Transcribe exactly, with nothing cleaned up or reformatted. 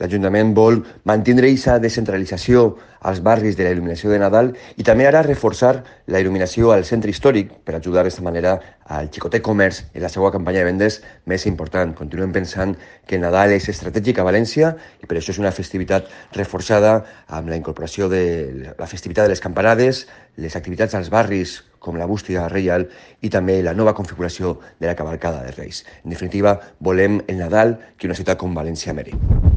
l'Ajuntament vol mantenir aquesta descentralització als barris de la il·luminació de Nadal i també ara reforçar la il·luminació al centre històric per ajudar d'aquesta manera al xicotet comerç en la seva campanya de vendes més important. Continuem pensant que Nadal és estratègic a València i per això és una festivitat reforçada amb la incorporació de la festivitat de les campanades, les activitats als barris com la bústia reial i també la nova configuració de la cavalcada de Reis. En definitiva, volem el Nadal que una ciutat com València mereix.